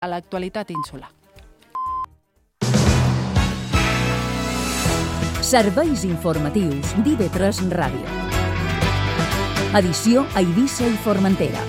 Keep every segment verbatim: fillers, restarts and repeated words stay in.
a l'actualitat insular. Serveis informatius d'I V tres Ràdio. Edició a Eivissa i Formentera.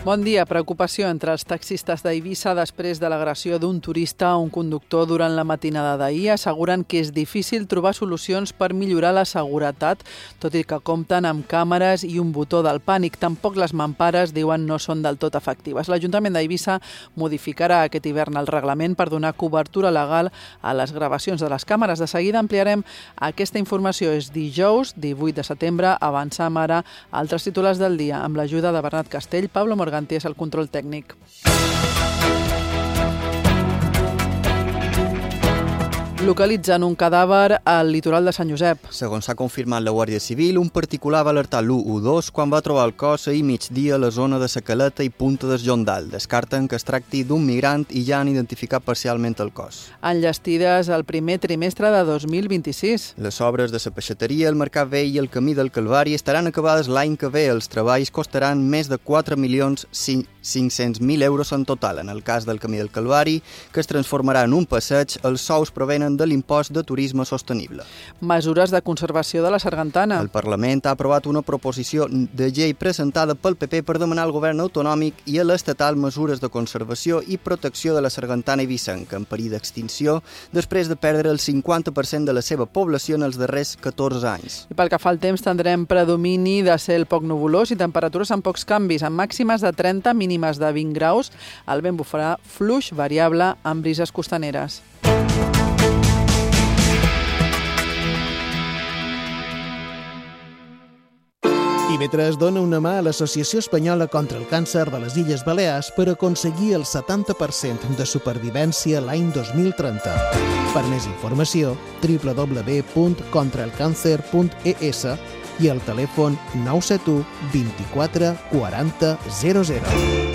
Bon dia. Preocupació entre els taxistes d'Eivissa després de l'agressió d'un turista a un conductor durant la matinada d'ahir. Asseguren que és difícil trobar solucions per millorar la seguretat, tot i que compten amb càmeres i un botó del pànic. Tampoc les mampares, diuen, no són del tot efectives. L'Ajuntament d'Eivissa modificarà aquest hivern el reglament per donar cobertura legal a les gravacions de les càmeres. De seguida ampliarem aquesta informació. És dijous, divuit de setembre. Avançam ara a altres titulars del dia amb l'ajuda de Bernat Castell, Pablo Morgan és el control tècnic. Localitzen un cadàver al litoral de Sant Josep. Segons s'ha confirmat la Guàrdia Civil, un particular va alertar l'u u dos quan va trobar el cos ahir migdia a la zona de Sa Caleta i Punta del Jondal. Descarten que es tracti d'un migrant i ja han identificat parcialment el cos. Enllestides el primer trimestre de dos mil vint-i-sis. Les obres de la peixateria, el Mercat Vell i el Camí del Calvari estaran acabades l'any que ve. Els treballs costaran més de quatre milions cinc-cents mil euros en total. En el cas del Camí del Calvari, que es transformarà en un passeig, els sous provenen de l'impost de turisme sostenible. Mesures de conservació de la sargantana. El Parlament ha aprovat una proposició de llei presentada pel P P per demanar al govern autonòmic i a l'estatal mesures de conservació i protecció de la sargantana eivissenca en perill d'extinció després de perdre el cinquanta per cent de la seva població en els darrers catorze anys. I pel que fa al temps, tindrem predomini de cel poc nuvolós i temperatures amb pocs canvis, amb màximes de trenta, mínimes de vint graus. El vent bufarà fluix variable amb brises costaneres. I V tres dona una mà a l'Associació Espanyola contra el Càncer de les Illes Balears per aconseguir el setanta per cent de supervivència l'any dos mil trenta. Per més informació, w w w punt contra el càncer punt e s i el telèfon nou set u vint-i-quatre quaranta zero zero.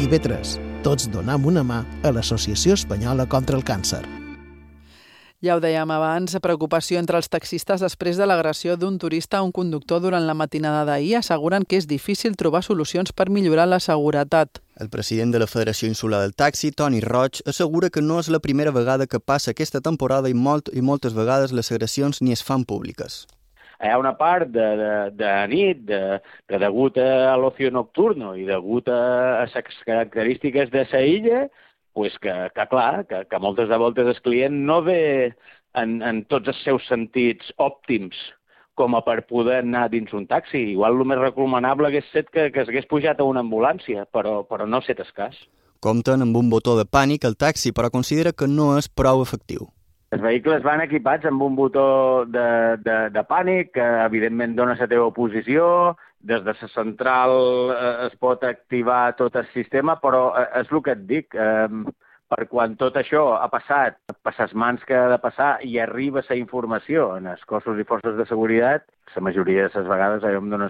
I V tres, tots donam una mà a l'Associació Espanyola contra el Càncer. Ja ho dèiem abans, preocupació entre els taxistes després de l'agressió d'un turista a un conductor durant la matinada d'ahir. Asseguren que és difícil trobar solucions per millorar la seguretat. El president de la Federació Insular del Taxi, Toni Roig, assegura que no és la primera vegada que passa aquesta temporada i, molt, i moltes vegades les agressions ni es fan públiques. Hi ha una part de, de, de nit de, que degut a l'ocio nocturno i degut a les característiques de la illa, pues que, que clar, que, que moltes de voltes el client no ve en, en tots els seus sentits òptims com a per poder anar dins un taxi. Igual el més recomanable hagués set que, que s'hagués pujat a una ambulància, però, però no ha set el cas. Compten amb un botó de pànic al taxi, però considera que no és prou efectiu. Els vehicles van equipats amb un botó de, de, de pànic que evidentment dona la teva posició. Des de la central eh, es pot activar tot el sistema, però eh, és el que et dic. Eh, per quan tot això ha passat, per les mans que ha de passar i arriba la informació en els cossos i forces de seguretat, la majoria de les vegades jo em dona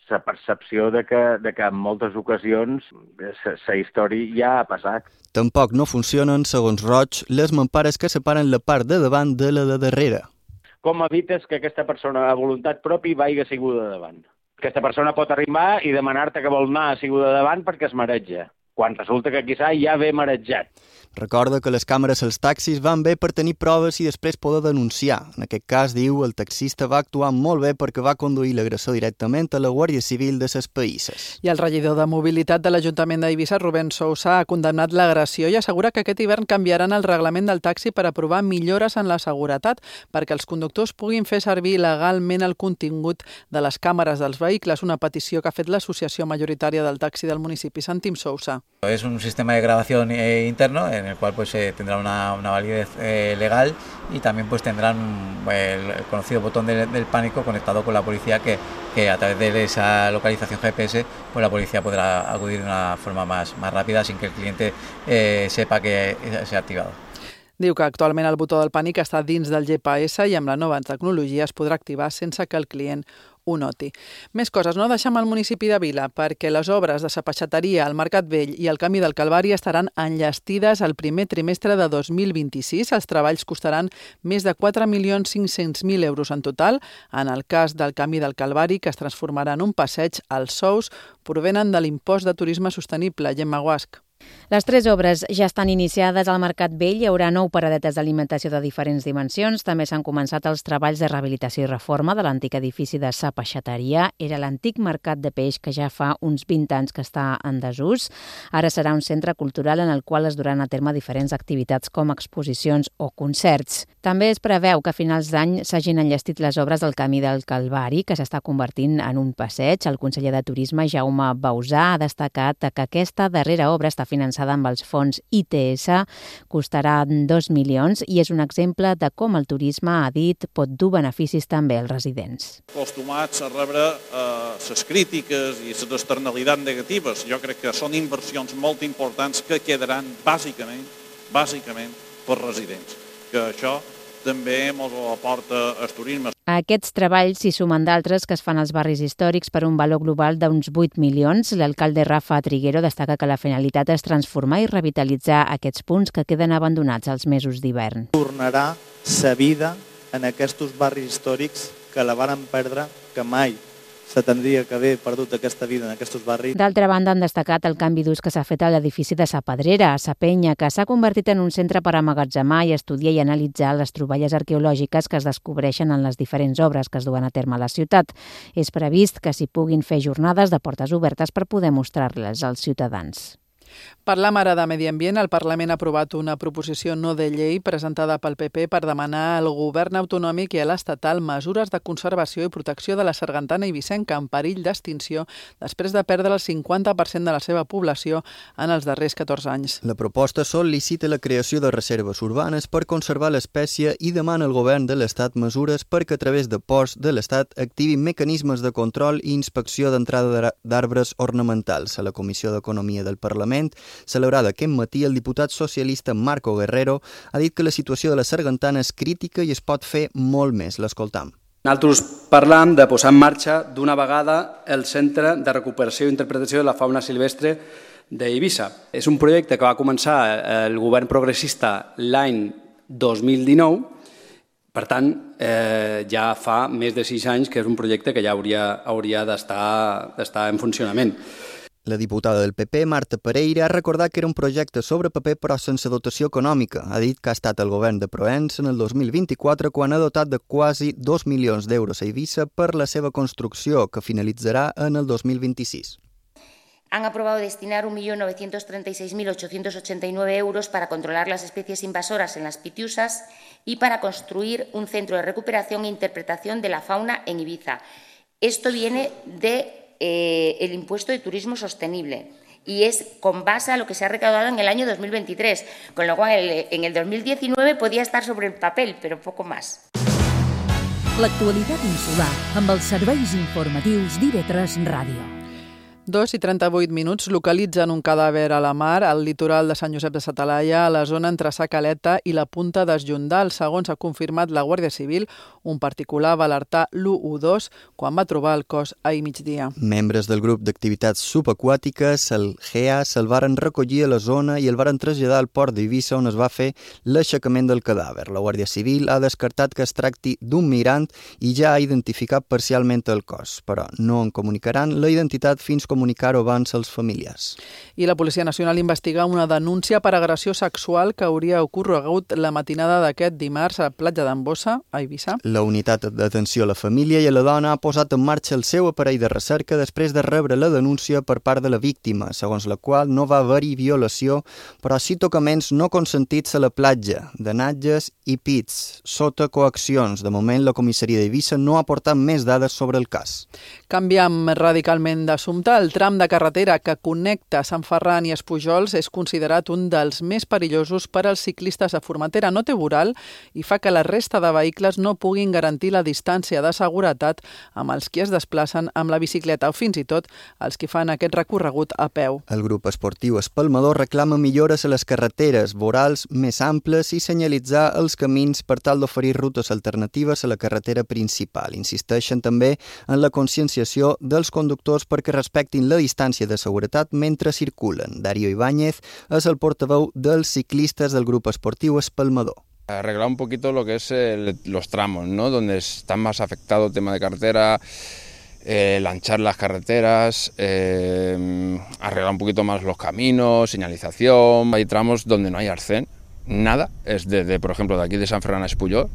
la percepció de que, de que en moltes ocasions la història ja ha passat. Tampoc no funcionen, segons Roig, les mampares que separen la part de davant de la de darrere. Com evites que aquesta persona a voluntat pròpia vagi asseguda davant? Aquesta persona pot arribar i demanar-te que vol anar asseguda davant perquè es mareja, quan resulta que quizà ja ve marejat. Recorda que les càmeres als taxis van bé per tenir proves i després poder denunciar. En aquest cas, diu, el taxista va actuar molt bé perquè va conduir l'agressor directament a la Guàrdia Civil de ses Païsses. I el regidor de Mobilitat de l'Ajuntament d'Eivissa, Rubén Sousa, ha condemnat l'agressió i assegura que aquest hivern canviaran el reglament del taxi per aprovar millores en la seguretat perquè els conductors puguin fer servir legalment el contingut de les càmeres dels vehicles, una petició que ha fet l'Associació Majoritària del Taxi del municipi. Sentim Sousa. Es un sistema de grabación eh, interno en el cual pues eh, tendrá una, una validez eh, legal y también pues tendrán el conocido botón de, del pánico conectado con la policía que, que a través de esa localización G P S pues la policía podrá acudir de una forma más, más rápida sin que el cliente eh, sepa que se ha activado. Diu que actualment el botó del pànic està dins del G P S i amb la nova tecnologia es podrà activar sense que el client ho noti. Més coses, no deixem el municipi de Vila, perquè les obres de la peixateria, el Mercat Vell i el Camí del Calvari estaran enllestides al primer trimestre de dos mil vint-i-sis. Els treballs costaran més de quatre milions cinc-cents mil euros en total. En el cas del Camí del Calvari, que es transformarà en un passeig, els sous provenen de l'impost de turisme sostenible. Gemma Guasc. Les tres obres ja estan iniciades al Mercat Vell. Hi haurà nou paradetes d'alimentació de diferents dimensions. També s'han començat els treballs de rehabilitació i reforma de l'antic edifici de sa peixateria. Era l'antic mercat de peix que ja fa uns vint anys que està en desús. Ara serà un centre cultural en el qual es duran a terme diferents activitats com exposicions o concerts. També es preveu que a finals d'any s'hagin enllestit les obres del Camí del Calvari, que s'està convertint en un passeig. El conseller de Turisme, Jaume Bausà, ha destacat que aquesta darrera obra està finançada amb els fons I T S, costarà dos milions i és un exemple de com el turisme, ha dit, pot dur beneficis també als residents. Acostumats a rebre les eh, crítiques i les externalitats negatives. Jo crec que són inversions molt importants que quedaran bàsicament, bàsicament per residents. Que això també ens ho aporta el turisme. A aquests treballs s'hi sumen d'altres que es fan als barris històrics per un valor global d'uns vuit milions. L'alcalde Rafa Triguero destaca que la finalitat és transformar i revitalitzar aquests punts que queden abandonats als mesos d'hivern. Tornarà sa vida en aquests barris històrics que la varen perdre, que mai se tindria que haver perdut aquesta vida en aquests barris. D'altra banda, han destacat el canvi d'ús que s'ha fet a l'edifici de Sa Pedrera, a Sa Penya, que s'ha convertit en un centre per emmagatzemar i estudiar i analitzar les troballes arqueològiques que es descobreixen en les diferents obres que es duen a terme a la ciutat. És previst que s'hi puguin fer jornades de portes obertes per poder mostrar-les als ciutadans. Parlam ara de Medi Ambient. El Parlament ha aprovat una proposició no de llei presentada pel P P per demanar al govern autonòmic i a l'estatal mesures de conservació i protecció de la sargantana eivissenca en perill d'extinció després de perdre el cinquanta per cent de la seva població en els darrers catorze anys. La proposta sol·licita la creació de reserves urbanes per conservar l'espècie i demana al govern de l'Estat mesures perquè a través de ports de l'Estat activin mecanismes de control i inspecció d'entrada d'arbres ornamentals. A la Comissió d'Economia del Parlament, celebrada aquest matí, el diputat socialista Marco Guerrero ha dit que la situació de la sargantana és crítica i es pot fer molt més. L'escoltam. Nosaltres parlam de posar en marxa d'una vegada el Centre de Recuperació i Interpretació de la Fauna Silvestre d'Eivissa. És un projecte que va començar el govern progressista l'any dos mil dinou, per tant, eh, ja fa més de sis anys que és un projecte que ja hauria, hauria d'estar d'estar en funcionament. La diputada del P P, Marta Pereira, ha recordat que era un projecte sobre paper però sense dotació econòmica. Ha dit que ha estat el govern de Provença en el dos mil vint-i-quatre quan ha dotat de quasi dos milions d'euros a Eivissa per la seva construcció, que finalitzarà en el dos mil vint-i-sis. Han aprobado destinar un millón novecientos treinta y seis mil ochocientos ochenta y nueve euros para controlar las especies invasoras en las pitiusas y para construir un centro de recuperación e interpretación de la fauna en Ibiza. Esto viene de Eh, el impuesto de turismo sostenible y es con base a lo que se ha recaudado en el año dos mil veintitrés, con lo cual en el dos mil diecinueve podía estar sobre el papel, pero poco más. L'actualitat insular amb els serveis informatius d'I V tres Ràdio. Dos i trenta-vuit minuts localitzen un cadàver a la mar al litoral de Sant Josep de sa Talaia, a la zona entre Sa Caleta i la Punta d'Esjondal. Segons ha confirmat la Guàrdia Civil, un particular va alertar l'u u dos quan va trobar el cos ahir migdia. Membres del grup d'activitats subaquàtiques, el G E A, se'l varen recollir a la zona i el varen traslladar al port d'Eivissa, on es va fer l'aixecament del cadàver. La Guàrdia Civil ha descartat que es tracti d'un migrant i ja ha identificat parcialment el cos, però no en comunicaran la identitat fins com comunicar-ho abans als familiars. I la Policia Nacional investiga una denúncia per agressió sexual que hauria ocorregut la matinada d'aquest dimarts a la platja d'en Bossa, a Eivissa. La unitat d'atenció a la família i a la dona ha posat en marxa el seu aparell de recerca després de rebre la denúncia per part de la víctima, segons la qual no va haver-hi violació, però sí tocaments no consentits a la platja, denatges i pits, sota coaccions. De moment, la comissaria d'Eivissa no ha aportat més dades sobre el cas. Canviem radicalment d'assumpte. El el tram de carretera que connecta Sant Ferran i Espujols és considerat un dels més perillosos per als ciclistes de Formentera. No té voral i fa que la resta de vehicles no puguin garantir la distància de seguretat amb els qui es desplacen amb la bicicleta o fins i tot els qui fan aquest recorregut a peu. El grup esportiu Espalmador reclama millores a les carreteres, vorals més amples i senyalitzar els camins per tal d'oferir rutes alternatives a la carretera principal. Insisteixen també en la conscienciació dels conductors perquè respectin la distància de seguretat mentre circulen. Darío Ibáñez és el portaveu dels ciclistes del grup esportiu Espalmador. Arreglar un poquito lo que es el, los tramos, ¿no? Donde están más afectados el tema de carretera, eh, lanchar las carreteras, eh, arreglar un poquito más los caminos, señalización. Hay tramos donde no hay arcén, nada. Es de, de, por ejemplo, de aquí de San Ferran a Espuyol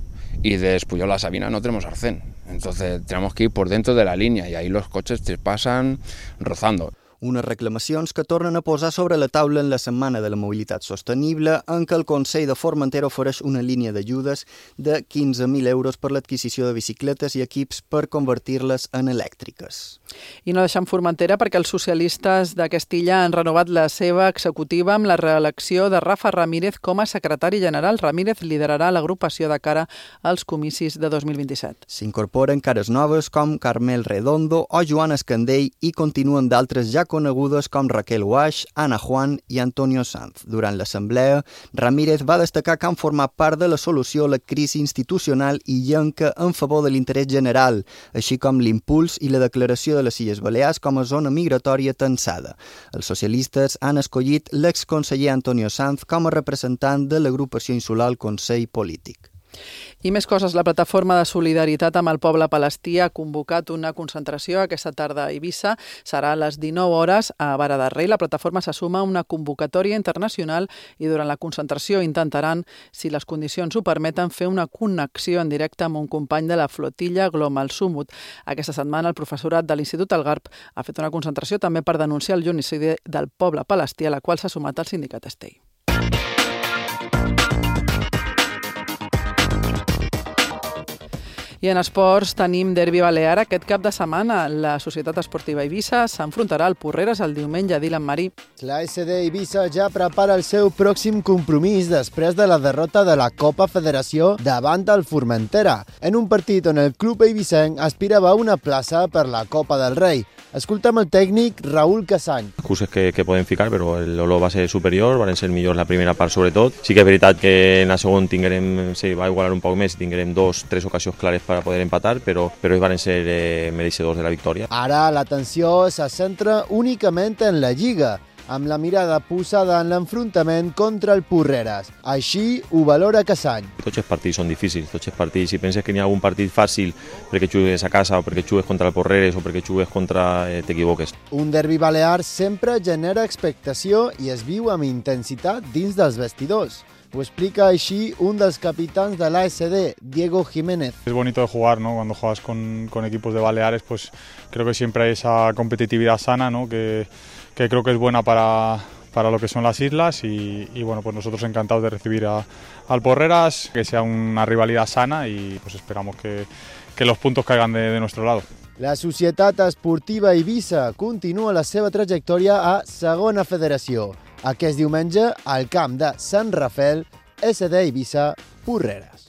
y de Espuyol a Sabina no tenemos arcén. Entonces tenemos que ir por dentro de la línea y ahí los coches te pasan rozando. Unes reclamacions que tornen a posar sobre la taula en la Setmana de la Mobilitat Sostenible, en què el Consell de Formentera ofereix una línia d'ajudes de quinze mil euros per l'adquisició de bicicletes i equips per convertir-les en elèctriques. I no deixem Formentera perquè els socialistes de Castilla han renovat la seva executiva amb la reelecció de Rafa Ramírez com a secretari general. Ramírez liderarà l'agrupació de cara als comicis de dos mil vint-i-set. S'incorporen cares noves com Carmel Redondo o Joan Escandell i continuen d'altres ja conegudes com Raquel Uaix, Ana Juan i Antonio Sanz. Durant l'assemblea, Ramírez va destacar que han format part de la solució a la crisi institucional i llenca en favor de l'interès general, així com l'impuls i la declaració de les Illes Balears com a zona migratòria tensada. Els socialistes han escollit l'exconseller Antonio Sanz com a representant de l'agrupació insular al Consell Polític. I més coses, la plataforma de solidaritat amb el poble palestí ha convocat una concentració aquesta tarda a Eivissa. Serà a les dinou hores a Vara de Rei. La plataforma se suma a una convocatòria internacional i durant la concentració intentaran, si les condicions ho permeten, fer una connexió en directe amb un company de la flotilla Global Sumut. Aquesta setmana el professorat de l'Institut Algarb ha fet una concentració també per denunciar el genocidi del poble palestí, a la qual s'ha sumat el sindicat Estei. I en esports tenim derbi balear aquest cap de setmana. La Societat Esportiva Eivissa s'enfrontarà al Porreres el diumenge a Dilan Marí. La S D Eivissa ja prepara el seu pròxim compromís després de la derrota de la Copa Federació davant el Formentera, en un partit on el club eivissenc aspirava a una plaça per la Copa del Rei. Escoltem el tècnic Raúl Casany. Excuses que, que poden ficar, però l'Olo va ser superior, van ser millors la primera part sobretot. Sí que és veritat que en la segona tinguerem, sí, va igualar un poc més, tinguerem dos, tres ocasions clares per poder empatar, però, però ells van ser eh, mereixedors de la victòria. Ara l'atenció se centra únicament en la Lliga, amb la mirada posada en l'enfrontament contra el Porreres. Així ho valora Casany. Tots els partits són difícils, tots els partits. Si penses que n'hi ha algun partit fàcil perquè jugues a casa o perquè jugues contra el Porreres o perquè jugues contra... Eh, t'equivoques. Un derbi balear sempre genera expectació i es viu amb intensitat dins dels vestidors. Lo explica així un dels capitans de la S D, Diego Jiménez. Es bonito de jugar, ¿no? Cuando juegas con, con equipos de Baleares, pues creo que siempre hay esa competitividad sana, ¿no? Que, que creo que es buena para, para lo que son las islas y, y bueno, pues nosotros encantados de recibir a, al Porreras, que sea una rivalidad sana y pues esperamos que, que los puntos caigan de, de nuestro lado. La Societat Esportiva Eivissa continua la seva trajectòria a Segona Federació. Aquest diumenge, al camp de Sant Rafel, S D Eivissa, Porreres.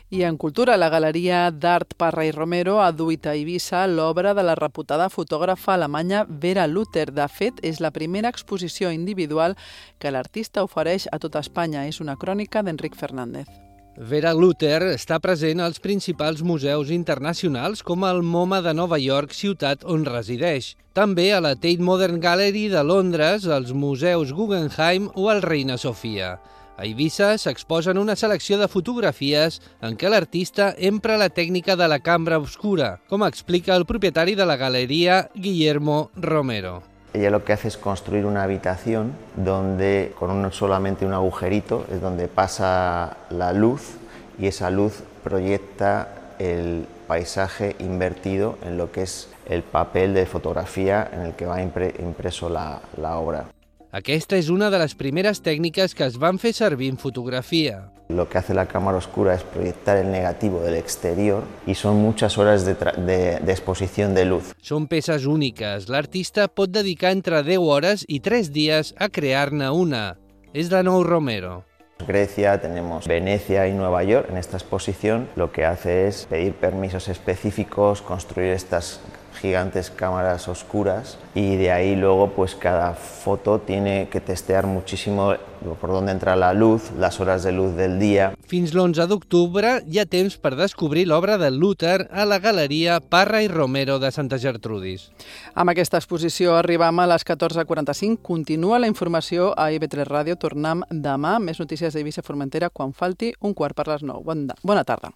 I en cultura, la Galeria d'Art Parra i Romero ha duit a Eivissa l'obra de la reputada fotògrafa alemanya Vera Luther. De fet, és la primera exposició individual que l'artista ofereix a tota Espanya. És una crònica d'Enric Fernández. Vera Luther està present als principals museus internacionals com el MoMA de Nova York, ciutat on resideix. També a la Tate Modern Gallery de Londres, als museus Guggenheim o el Reina Sofia. A Eivissa s'exposen una selecció de fotografies en què l'artista empra la tècnica de la cambra oscura, com explica el propietari de la galeria, Guillermo Romero. Ella lo que hace es construir una habitación donde con un, solamente un agujerito es donde pasa la luz y esa luz proyecta el paisaje invertido en lo que es el papel de fotografía en el que va impre, impreso la, la obra. Aquesta és una de les primeres tècniques que es van fer servir en fotografia. Lo que hace la cámara oscura es proyectar el negativo del exterior y son muchas horas de, de, de exposición de luz. Són peces úniques. L'artista pot dedicar entre deu hores i tres dies a crear-ne una. És de nou Romero. Grecia, tenemos Venecia y Nueva York en esta exposición. Lo que hace es pedir permisos específicos, construir estas gigantes cámaras oscuras y de ahí luego pues cada foto tiene que testear muchísimo por dónde entra la luz, las horas de luz del dia. Fins l'onze d'octubre hi ha temps per descobrir l'obra de Luter a la Galeria Parra i Romero de Santa Gertrudis. Amb aquesta exposició arribam a les catorze quaranta-cinc. Continua la informació a I V tres Ràdio. Tornem demà. Més notícies d'Eivissa Formentera quan falti un quart per les nou. Bona tarda.